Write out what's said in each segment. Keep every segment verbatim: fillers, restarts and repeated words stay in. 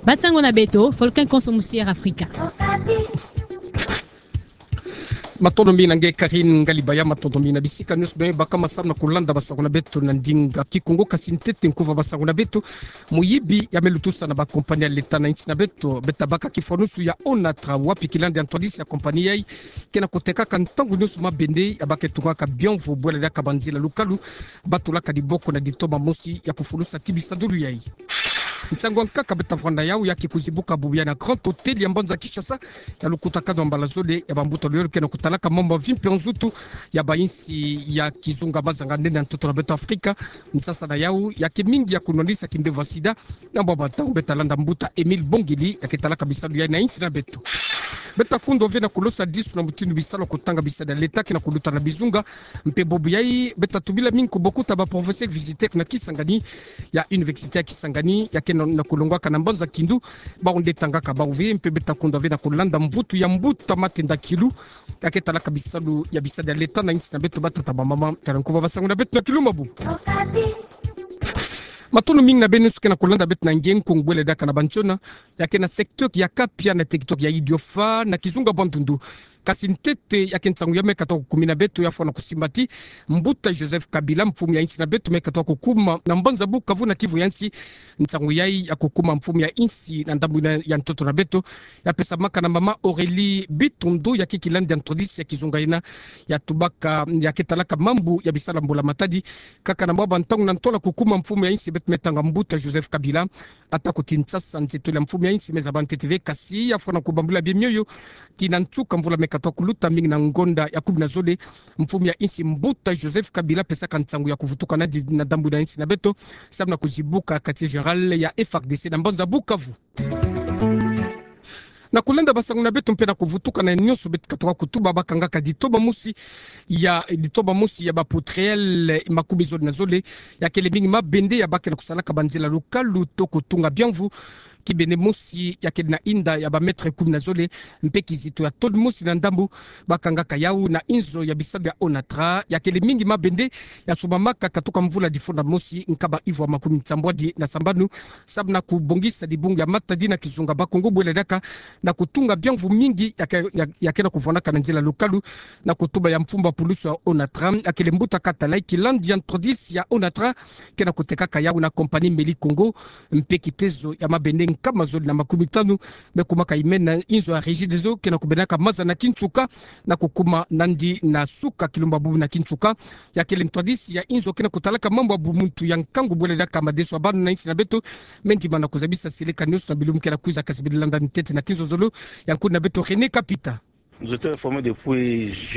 Ba nsangu na beto, Volcan Konso musi Air Africa. Matondo mingi na nge Karine Ngalibaya, matondo mingi na bisika nyonso beno baka ma samu na kulanda bansangu na beto na ndinga Kikongo. Kasi ntete nkuva bansangu na beto, moyibi ya me lutusa na bakompani ya leta na nsi na beto, beta baka kifwanusu ya Onatra, wapi kilandi ya ntwadisi ya kompani yai ke na kutekaka ntangu nyonso mabende ya baka tungaka bianvu bwela diaka banzila lukalu, batulaka diboko na ditoma mosi ya kufulusa ti bisadulu yai. Nsangu ya nkaka beta vwanda yawu ya ke kuzibuka bubu ya na Grand Hôtel ya mbanza Kinshasa, ya lukutakanu ya mbala zole ya bambuta luyolo ke na kutalaka mambu ya mvimpa ya nzutu ya bayinsi ya kizunga mazanga-nene ya ntoto na beto Afrika. Nsasa na yawu ya ke mingi ya kunwanisa kimbevo ya sida, na mwa bantangu beta landa mbuta Émile Bongili ya ke talaka bisalu yai na nsi na beto. Beta kundwa ve na kulosa disu na mutindu bisalu ya kutanga bisadi ya leta ke na kuluta na bizunga, mpe bubu yai beta tubila mingi kubokuta ba professeur visiteur na Kisangani, ya université ya Kisangani, ya ke na, na kulongwaka na mbanza Kindu, bawu nde tangaka bawu ve. Mpe beta kundwa ve na kulanda mvutu ya mbuta Matenda Kilu, ya ke talaka bisalu ya bisadi ya leta na nsi na beto. Batata, bamama, tala nkuva bansangu na beto na kilumabu. Matondo mingi na beno nyonso ke na kulanda beto na nge nkungu bwela diaka na bansiona ya ke na secteur ya Kapia na territoire ya Idiofa na kizunga Bandundu. Kasi ntete ya ke nsangu ya me katuka kukumina beto ya fwana kusimbati mbuta Joseph Kabila, mfumu ya nsi na beto, me katuka kukuma na mbanza Bukavu na Kivu ya nsi. Nsangu yai ya kukuma mfumu ya nsi na ndambu ya ntoto na beto ya pesamaka na mama Aurélie Bitondo, ya ke kilandi ya ntwadisi ya kizunga yina ya tubaka, ya ke talaka mambu ya bisalu ya mbula matadi. Kaka na mwa bantangu na ntola kukuma mfumu ya nsi, beto me tanga mbuta Joseph Kabila ata ku Kinshasa, nzietolo ya mfumu ya nsi me zaba ntete ve, kasi ya fwana kubambula bie mioyo tii na nsuka mvula me katuka kuluta, mingi na ngonda ya kumi na zole, mfumu ya nsi mbuta Joseph Kabila pesaka nsangu ya kuvutuka nandi na ndambu ya nsi na beto samu na kuzibuka quartier général ya F A R D C na mbanza Bukavu. Na kulanda bansangu na beto mpe na kuvutuka na nyonso beto katuka kutuba, bakangaka ditoma mosi ya, ditoma mosi ya ba poutrelles makumi zole na zole, ya kele mingi mabende ya bake na kusalaka banzila lukalu to kutunga bianvu. Kibende mosi ya kele na inda ya ba mètres kumi na zole, mpe kizito ya tonne mosi na ndambu, bakangaka yawu na inzo ya bisalu ya Onatra. Ya kele mingi mabende ya sumbamaka katuka mvula difunda mosi nkama ivu ya makumi nsambwadi na sambanu, samu na kubongisa dibungu ya matadi na kizunga Bakongo bwela diaka na kutunga bianvu mingi ya ke, ya, ya ke na kuvwanaka na nzila lukalu. Na kutuba ya mfumu ya pulusu ya Onatra, ya kele mbuta Katalai, kilandi ya ntwadisi ya Onatra ke na kutekaka yawu na compagnie Meli Congo, mpe kitezo ya mabende nkama zole na makumi tanu me kumaka yimena inzo ya Regideso ke na kubendaka maza na kinsuka na kukuma nandi na suka kilumba bubu na kinsuka. Ya kele ntwadisi ya inzo ke na kutalaka mambu ya bumuntu ya nkangu bwela diaka madeso ya bana na nsi na beto, me ndima na kuzabisa seleka nyonso na bilumbu ke na kwiza, kasi beno landa ntete na kinzonzolo ya nkuna beto René Kapita.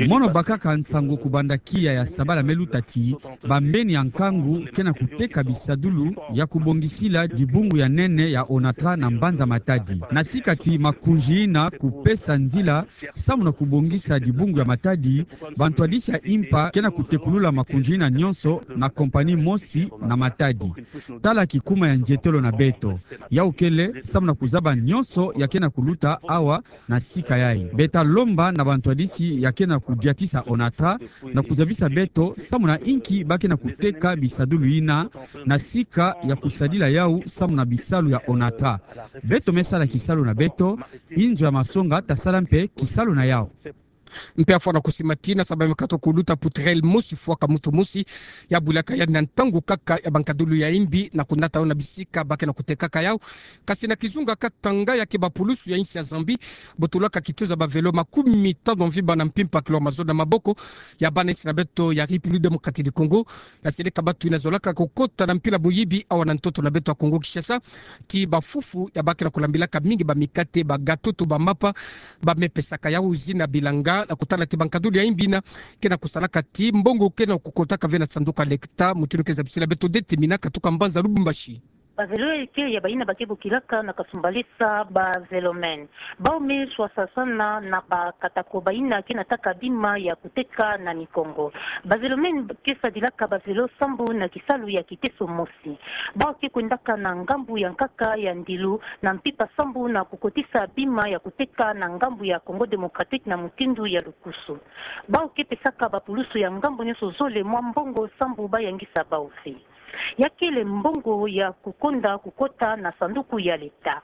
Mono bakaka nsangu kubanda kiya ya sabala me luta ti bambeni ya nkangu ke na kuteka bisadulu ya kubongisila dibungu ya nene ya Onatra na mbanza Matadi. Na sika ti makunji yina kupesa nzila samu na kubongisa dibungu ya Matadi, bantwadisi ya impa ke na kutekulula makunji yina nyonso na compagnie mosi na Matadi. Tala kikuma ya nzietolo na beto. Yawu kele samu na kuzaba nyonso ya ke na kuluta awa na sika yai. Beta lomba na bantwadisi ya ke na kudiatisa Onatra na kuzabisa beto samu na inki ba ke na kuteka bisadulu yina, na sika ya kusadila yawu samu na bisalu ya Onatra. Beto me sala kisalu na beto, inzo ya masonga ta sala mpe kisalu na yawu. Mpe ya fwana kusimbati, na samu ba me katuka kuluta poutrelle mosi fwaka muntu mosi, ya bulaka yandi na ntangu kaka ya bankadulu ya imbi na kunata yawu na bisika ba ke na kutekaka yawu. Kasi na kizunga Katanga, ya ke bapulusu ya nsi ya Zambie botulaka kitezo ya ba vélo makumi tanu mvimba na mpimpa, kilo mazono na maboko ya bana nsi na beto ya République Démocratique du Congo. Ya seleka batu yina zolaka kukota na mpila moyibi awa na ntoto na beto ya Congo Kinshasa, ti bafufu ya ba ke na kulambilaka mingi bamikate, bagâteau to bamapa, ba me pesaka yawu zina bilanga, na kutala ti bankadulu ya imbi yina ke na kusalaka ti mbongo ke na kukotaka ve na sanduku ya l'État, mutindu ke zabisila beto Detemina katuka mbanza Lubumbashi. Ba vélo ya ike ya bayina ba ke bokilaka na kasumbalesa ba vélomène. Bawu me swasasana na bakatako bayina ke nataka bima ya kuteka na mikongo. Ba vélomène ke sadilaka ba vélo sambu na kisalu ya kiteso mosi. Bawu ke kwendaka na ngambu ya nkaka ya ndilu na mpimpa sambu na kukotisa bima ya kuteka na ngambu ya Congo Démocratique na mutindu ya lukusu. Bawu ke pesaka bapulusu ya ngambu nyonso zole mwa mbongo sambu ba yangisa bawu ve. Ya kele mbongo ya kukonda kukota na sanduku ya l'État.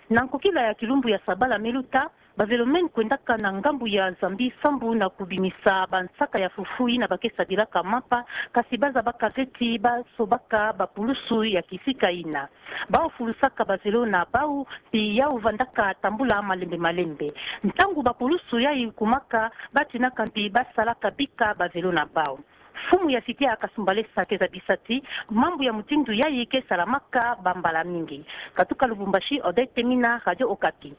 Na nkokila ya kilumbu ya sabala me luta, bavelo mena kwendaka na ngambu ya Zambie sambu na kubimisa bansaka ya fufu yina ba ke sadilaka mapa, kasi ba zabaka ti ba sobaka bapulusu ya kisika yina. Bau fulusaka bavelo na bau, mpi yau vandaka tambula malembe malembe. Ntangu bapulusu yayi kumaka, ba tinaka mpi ba salaka bika bavelo na bau. Mfumu ya cité ya Kasumbalesa ke zabisa ti mambu ya mutindu yayi ke salamaka bambala mingi. Katuka Lubumbashi, Odette Mina, Radio Okapi.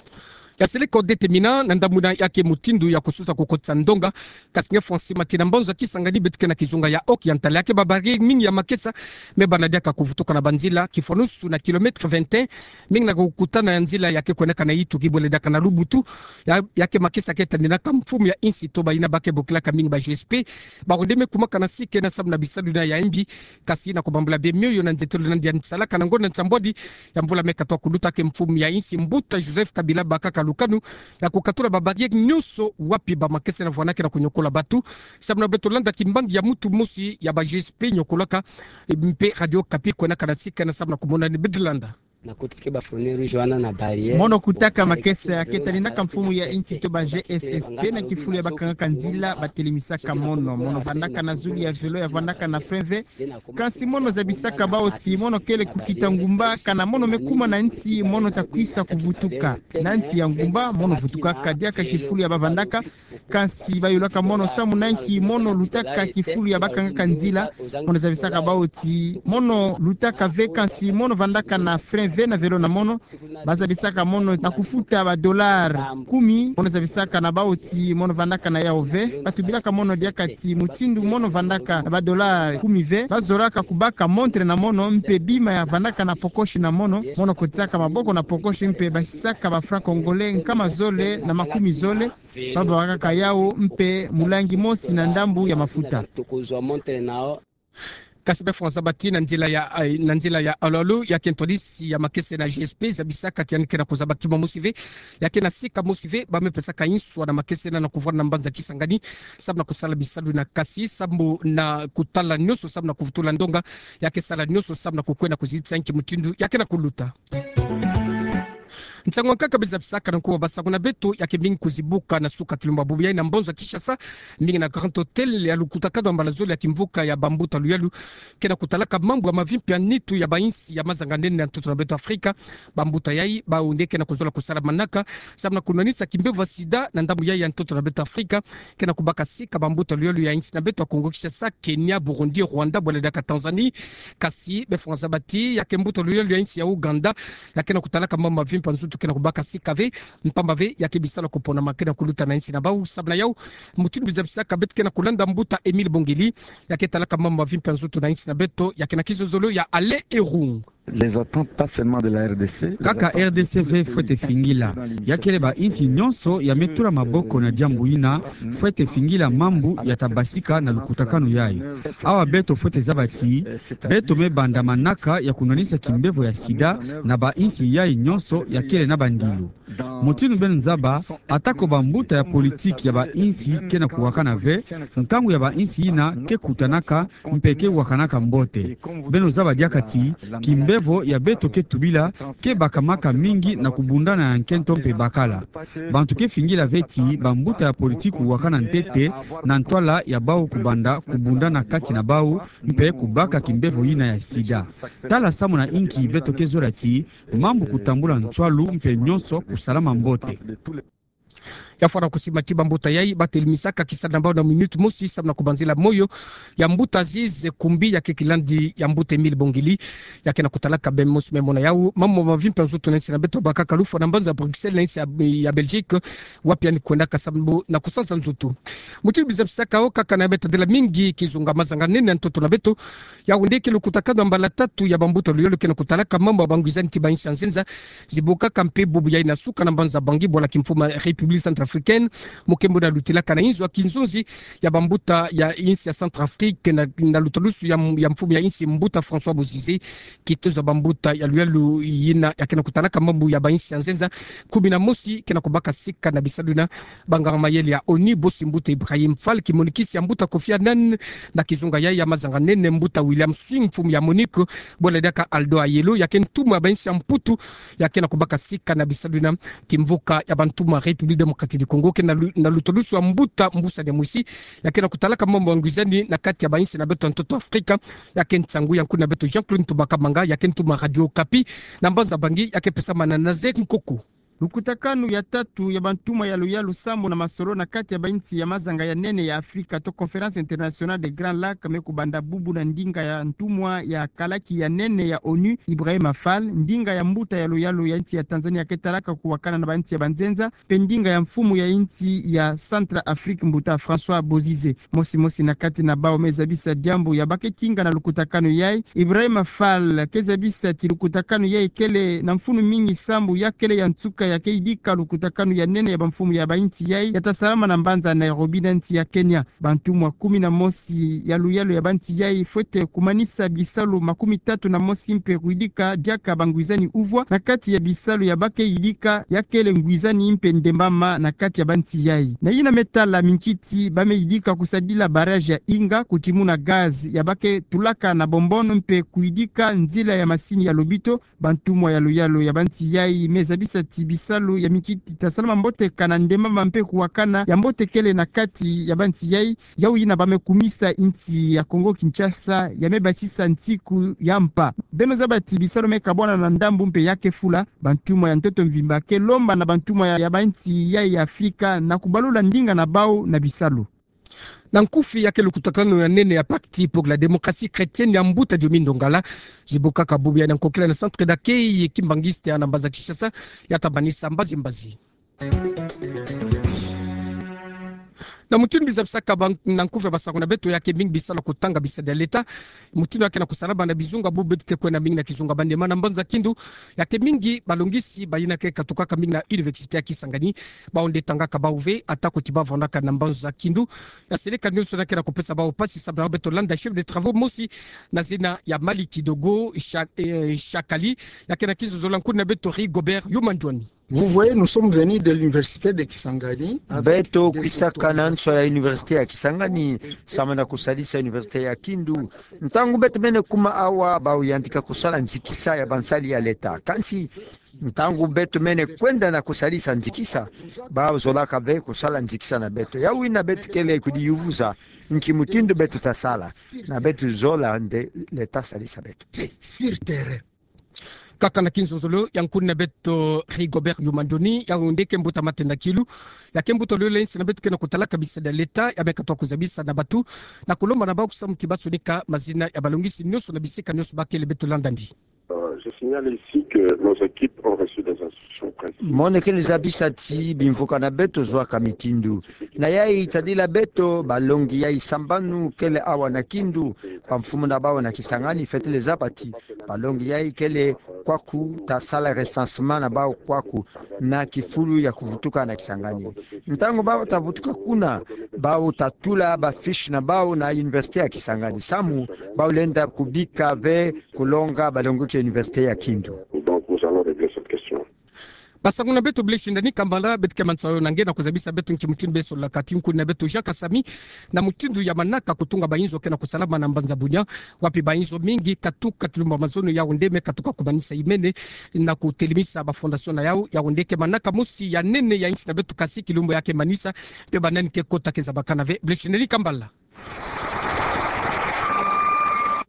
Ya seleka Odette Mina, na ndambu ina ya ke mutindu ya kususa kukotisa ndonga, kasi nge Francis Mati na mbanza Kisangani beto ke na kizunga ya Occ ya ntala ya ke ba barrière mingi ya makesa me bana diaka kuvutuka na banzila, kifwanusu na kilomètre vingt et un, mingi na kukutana ya nzila ya ke kwendaka na Ituki bwele diaka na Lubutu, ya, ya ke makesa ke tandinaka mfumu ya insi Toba yina ba ke bokilaka mingi ba G S P, bawu nde me kumaka na sika ena samu na bisalu ina ya mbi, kasi na kubambula bie mioyo na nzietolo na ndia nsalaka na ngonda nsambwadi ya mvula me katoa kuluta ke mfumu ya insi Mbuta Joseph Kabila bakaka lukanu ya kukatula ba barrière nyonso wapi ba makesa na vwanaka na kunyokola batu, samu na beto landa kimbangi ya mutu mosi ya ba G S P nyokolaka, e, mpe Radio Okapi kwendaka na sika ena samu na kumona ni beto landa. Mono kutaka makesa ke tandinaka mfumu ya insi Toba G S S P na kifulu ya bakangaka nzila batelemisaka mono. Mono vandaka na zulu ya velo ya vandaka na frein V. Kasi mono zabisaka bau ti mono kele kukita ngumba, kana mono me kuma na nsi mono ta kwisa kuvutuka. Na nsi ya ngumba mono vutukaka diaka kifulu ya bavandaka, kasi bayolaka mono samu na nki mono lutaka kifulu ya bakangaka nzila. Mono zabisaka bau ti mono lutaka ve, kasi mono vandaka na frein V na velo na mono. Ba zabisaka mono na kufuta ba dollars kumi. Mono zabisaka na bau ti mono vandaka na yau ve. Ba tubilaka mono diaka ti mutindu mono vandaka na ba dollars kumi ve, ba zoraka kubaka montre na mono, mpe bima ya vandaka na pokoshi na mono. Mono kotisaka maboko na pokoshi mpe basisaka ba francs congolais nkama zole na makumi zole. Ba bakaka yau mpe mulangi mosi na ndambu ya mafuta. Kasi bie fwana zaba ti na nzila ya, eh, na nzila ya Alo Alo, ya ke ntwadisi ya makesa na G S P, zabisaka ti yandi ke na kuzaba kima mosi ve, ya ke na sika mosi ve, ba me pesaka inswa na makesa na kuvwanda na mbanza Kisangani, samu na kusala bisalu ina, kasi samu na kutala nyonso samu na kuvutula ndonga, ya ke sala nyonso samu na kukwenda kuzitisa nki mutindu ya ke na kuluta. Nsangu nkaka bie zabisaka na nkuwa basangu na beto ya ke mingi kuzibuka na suka kilumbu bubu yayi na mbanza Kinshasa, mingi na Grand Hôtel, ya lukutakanu ya mbala zole ya kimvuka ya bambuta luyalu ke na kutalaka mambu ya mavimpi ya nitu ya bainsi ya mazanga-nene ya ntoto na beto Afrika. Bambuta yayi, bau nde ke na kuzola kusala manaka samu na kunwanisa kimbevo ya sida na ndambu yayi ya ntoto na beto Afrika, ke na kubaka sika bambuta luyalu ya insi na beto ya Congo Kinshasa, Kenya, Burundi, Rwanda, bwele diaka Tanzanie. Kasi bie fwana zaba ti ya ke mbuta luyalu ya insi ya Ouganda, ya ke na kutalaka mambu mavimpi ya nzutu ke na kubaka sika ve, mpamba ve ya ke bisalu ya kuponama ke na kuluta na insi na bau. Samu na yau, mutindu bie zabisaka beto ke na kulanda mbuta Émile Bongeli, ya ke talaka mambu mavimpi ya nzutu na insi na beto, ya ke na kizozolo ya Alain Erung. Les attentes, pas seulement de la R D C, les attentes de tous les pays qui sont dans l'initiative. Kaka R D C ve fwete fingila. Ya kele bainsi nyonso ya me tula maboko na diambu yina, fwete fingila mambu ya ta basika na lukutakanu yayi. Awa beto fwete zaba ti beto me banda manaka ya kunwanisa kimbevo ya sida na bainsi yayi nyonso ya kele na bandilu. Mutindu beno zaba, atako bambuta ya politiki ya bainsi ke na kuwakana ve, nkangu ya bainsi yina ke kutanaka mpe ke wakanaka mbote. Beno zaba diaka ti kimbevo ya beto ke tubila ke bakamaka mingi na kubundana ya nkento mpe bakala. Bantu ke fingila ve ti bambuta ya politiki wakana ntete na ntwala ya bau kubanda kubundana kati na bau mpe kubaka kimbevo yina ya sida. Tala samu na inki beto ke zola ti mambu kutambula nswalu mpe nyonso kusalama mbote. Ya fwana kusima ti bambuta yayi, ba telimisaka kisalu na bau na minute mosi samu na kubanzila moyo ya mbuta Aziz Kumbi, ya ke kilandi ya mbuta Émile Bongeli, ya ke na kutalaka bie mosi me mona yau mambu mavimpi ya nzutu na insi na beto, bakaka lufwa na mbanza Bruxelles na insi ya, ya Belgique, wapi yandi kwendaka samu na kusansa nzutu. Mutindu bie zabisaka, o kaka na ya me tadila mingi kizunga mazanga-nene ya ntoto na beto, yau nde ke lukutakanu ya mbala tatu ya bambuta luyalu ke na kutalaka mambu ya bangwizani ti bainsi ya nzenza, zibukaka mpe bubu yayi na suka na mbanza Bangui, bwala kimfumu ya République Centrafricaine Centrafricaine, mokembo na lutilaka na inzo ya kinzonzi ya bambuta ya insi ya Centrafrique na, na lutalusu ya, ya mfumu ya insi mbuta François Bozizé, kitezo ya bambuta ya luyalu yina ya ke na kutalaka mambu ya bainsi ya nzenza kumi na mosi ke na kubaka sika na bisalu yina. Banganga mayele ya ONU, bosi mbuta Ibrahim Fall, kimonikisi ya mbuta Kofi Annan na kizunga yayi ya mazanga nene, mbuta William Swing, mfumu ya MONUC, bwela diaka Aldo Ayelo, ya ke ntumwa ya bainsi ya Mputu, ya ke na kubaka sika na bisalu yina. Kimvuka ya bantumwa République Démocratique du Congo ke na lu-, na lutalusu ya mbuta Mbusa Nyamwisi, ya ke na kutalaka mambu ya ngwizani na kati ya bainsi na beto ya ntoto Afrika. Ya ke nsangu ya nkuna beto Jean-Claude Ntumba Kabanga, ya ke ntumwa Radio Okapi, na mbanza Bangui, ya ke pesamana na Zek Nkoku. Lukutakanu ya tatu ya bantumwa ya luyalu sambu na masolo na kati ya bainsi ya mazanga ya nene ya Afrika to Conférence Internationale des Grands Lacs me kubanda bubu na ndinga ya ntumwa ya kalaki ya nene ya ONU, Ibrahima Fall, ndinga ya mbuta ya luyalu ya insi ya Tanzanie ke talaka kuwakana na bainsi ya banzenza, mpe ndinga ya mfumu ya insi ya Centrafrique, mbuta François Bozizé. Mosi mosi na kati na bawu me zabisa diambu ya ba ke kinga na lukutakanu yayi, Ibrahima Fall, ke zabisa ti lukutakanu yayi kele na mfunu mingi sambu ya kele ya nsuka ya ke yidika lukutakanu ya nene ya bamfumu ya bainsi yayi ya ta salama na mbanza Nairobi na insi ya Kenya. Bantumwa kumi na mosi ya luyalu ya bainsi yayi fwete kumanisa bisalu makumi tatu na mosi mpe kuyidika diaka bangwizani uvwa na kati ya bisalu ya ba ke yidika ya kele ngwizani mpe ndembama na kati ya bainsi yayi. Na yina me tala minkiti ba me yidika kusadila barrage ya Inga, kutimuna gaz ya ba ke tulaka na Bombon mpe kuyidika nzila ya masini ya lobito. Bantumwa ya luyalu ya bainsi yayi me zabisa ti bisalu ya minkiti ta salama mbote kana ndembama mpe kuwakana ya mbote kele na kati ya bainsi yayi. Yawu yina ba me kumisa insi ya Congo Kinshasa ya me basisa nsiku ya mpa. Beno zaba ti bisalu me kabwana na ndambu mpe ya ke fula. Bantumwa ya ntoto mvimba ke lomba na bantumwa ya, ya bainsi yayi ya Afrika na kubalula ndinga na bawu na bisalu. Na nkufi ya ke lukutakanu ya nene ya Pacte pour la Démocratie Chrétienne ya mbuta Diomi Ndongala, zibukaka bubu yayi na nkokila na Centre d'accueil kimbanguiste ya na mbanza Kinshasa, ya ta manisa mbazi mbazi. Na mutindu bizabisaka ba-, na nkufi ya basangu na beto, ya ke mingi bisalu ya kutanga bisadadi ya leta. Mutindu ya ke na kusalama na bizunga bubu beto ke kwenda mingi na kizunga Maniema na mbanza Kindu, ya ke mingi balongisi bayina ke katukaka mingi na Université ya Kisangani. Bawu nde tangaka bawu ve, ata ko ti ba vandaka na mbanza Kindu. Ya seleka nionso yina ke na kupesa bawu mpasi, samu na beto landa chef de travaux mosi na zina ya Mali Kidogo Sha-, eh, Shakali, ya ke na kinzonzolo ya nkuna beto Rigobert Yuma Ndwani. Vous voyez, nous sommes venus de l'université de Kisangani avec des étudiants. Beto kwisaka na nso ya université ya Kisangani, samu na kusalisa université ya Kindu. Ntangu beto mene kuma awa, bawu yantika kusala nzikisa ya bansali ya leta. Kansi, ntangu beto mene kwenda na kusalisa nzikisa, bawu zolaka ve kusala nzikisa na beto. Yawu yina beto kele kudiyuvuza, nki mutindu beto ta sala, na beto zola nde leta salisa beto. Sur terrain. Kaka na kinzonzolo ya nkuna beto Rigobert Yuma Ndwani, yawu nde ke mbuta Matenda Kilu, ya ke mbuta lololo ya insi na beto ke na kutalaka bisadadi ya leta, ya me katuka kuzabisa na batu, na kulomba na bawu kusamu ti ba sonika mazina ya balongisi nionso na bisika nionso ba kele. Beto landa ndi. Euh, je signale ici que nos équipes ont reçu des instructions précises. Mono kele zabisa ti bimvuka na beto zoaka mitindu. Na yayi tadila beto, balongi yayi sambanu kele awa na Kindu, bamfumu na bawu na Kisangani fwete zaba ti balongi yayi kele kwaku, ta sala recensement na bawu kwaku, na kifulu ya kuvutuka na Kisangani. Ntangu bawu ta vutuka kuna, bawu ta tula ba fiche na bawu na université ya Kisangani. Samu, bawu lenda kubika ve kulonga balongoki université ya Kindu. Donc, nous allons régler cette question. Basangu na beto, Blaise Ndani Kambala, beto ke manisa yo na nge na kuzabisa beto nki mutindu be sololaka ti nkuna beto Jean Kasami, na mutindu ya manaka kutunga bainzo ke na kusalama na mbanza Bunia, wapi bainzo mingi katuka kilumbu ya mazono, yawu nde me katuka kumanisa imene na kutelemisa ba fondation na yawu, yawu nde ke manaka mosi ya nene ya insi na beto, kasi kilumbu ya ke manisa, mpe banani ke kota ke zabakana ve. Blaise Ndani Kambala.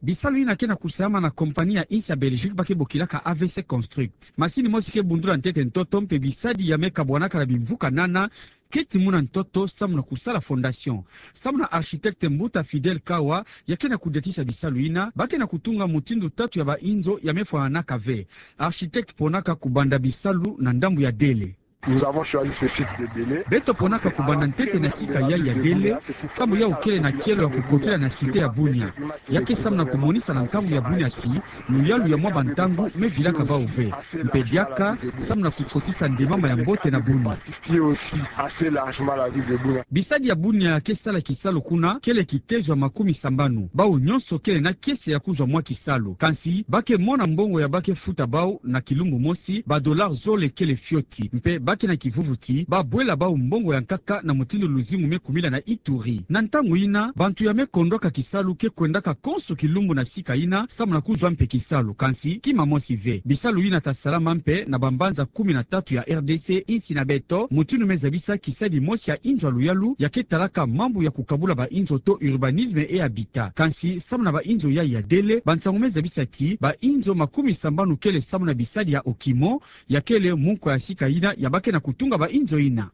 Bisalu yina ke na kusalama na compagnie ya insi ya Belgique ba ke bokilaka A V C Construct. Masini mosi ke bundula ntete ntoto mpe bisadi ya me kabwanaka na bimvuka nana ke timuna ntoto samu na kusala fondation. Samu na architecte mbuta Fidèle Kawa, ya ke na kudiatisa bisalu yina, ba ke na kutunga mutindu tatu ya bainzo ya me fwananaka ve. Architecte ponaka kubanda bisalu na ndambu ya Dele. Beto ponaka kubanda ntete na sika yayi ya Dele, sambu yawu kele na kielo ya kukotila na cité ya Bunia. Ya ke samu na kumonisa na nkangu ya Bunia ti, luyalu ya mwa bantangu me vilaka bawu ve. Mpe diaka, samu na kukotisa ndemama ya mbote na Bunia. Bisadi ya Bunia ke sala kisalu kuna kele kitezo ya makumi sambanu. Bawu nyonso kele na kiese ya kuzwa mwa kisalu. Kansi, ba ke mona mbongo ya ba ke futa bawu na kilumbu mosi, ba dollars zole kele fioti. Mpe ba ke na kivuvu ti, ba bwela bawu mbongo ya nkaka na mutindu luzingu me kumila na Ituri. Na ntangu yina, bantu ya me kondwaka kisalu ke kwendaka konso kilumbu na sika yina, samu na kuzwa mpe kisalu. Kansi, kima mosi ve. Bisalu yina ta salama mpe na bambanza kumi na tatu ya R D C, insi na beto, mutindu me zabisa kisadi mosi ya inzo ya luyalu, ya ke talaka mambu ya kukabula bainzo to urbanisme et habitat. Kansi, samu na bainzo yayi ya Dele, bansangu me zabisa ti, bainzo makumi sambanu kele samu na bisadi ya Okimo, ya kele munkwa ya sika yina, ya ba ke na kutunga bainzo yina.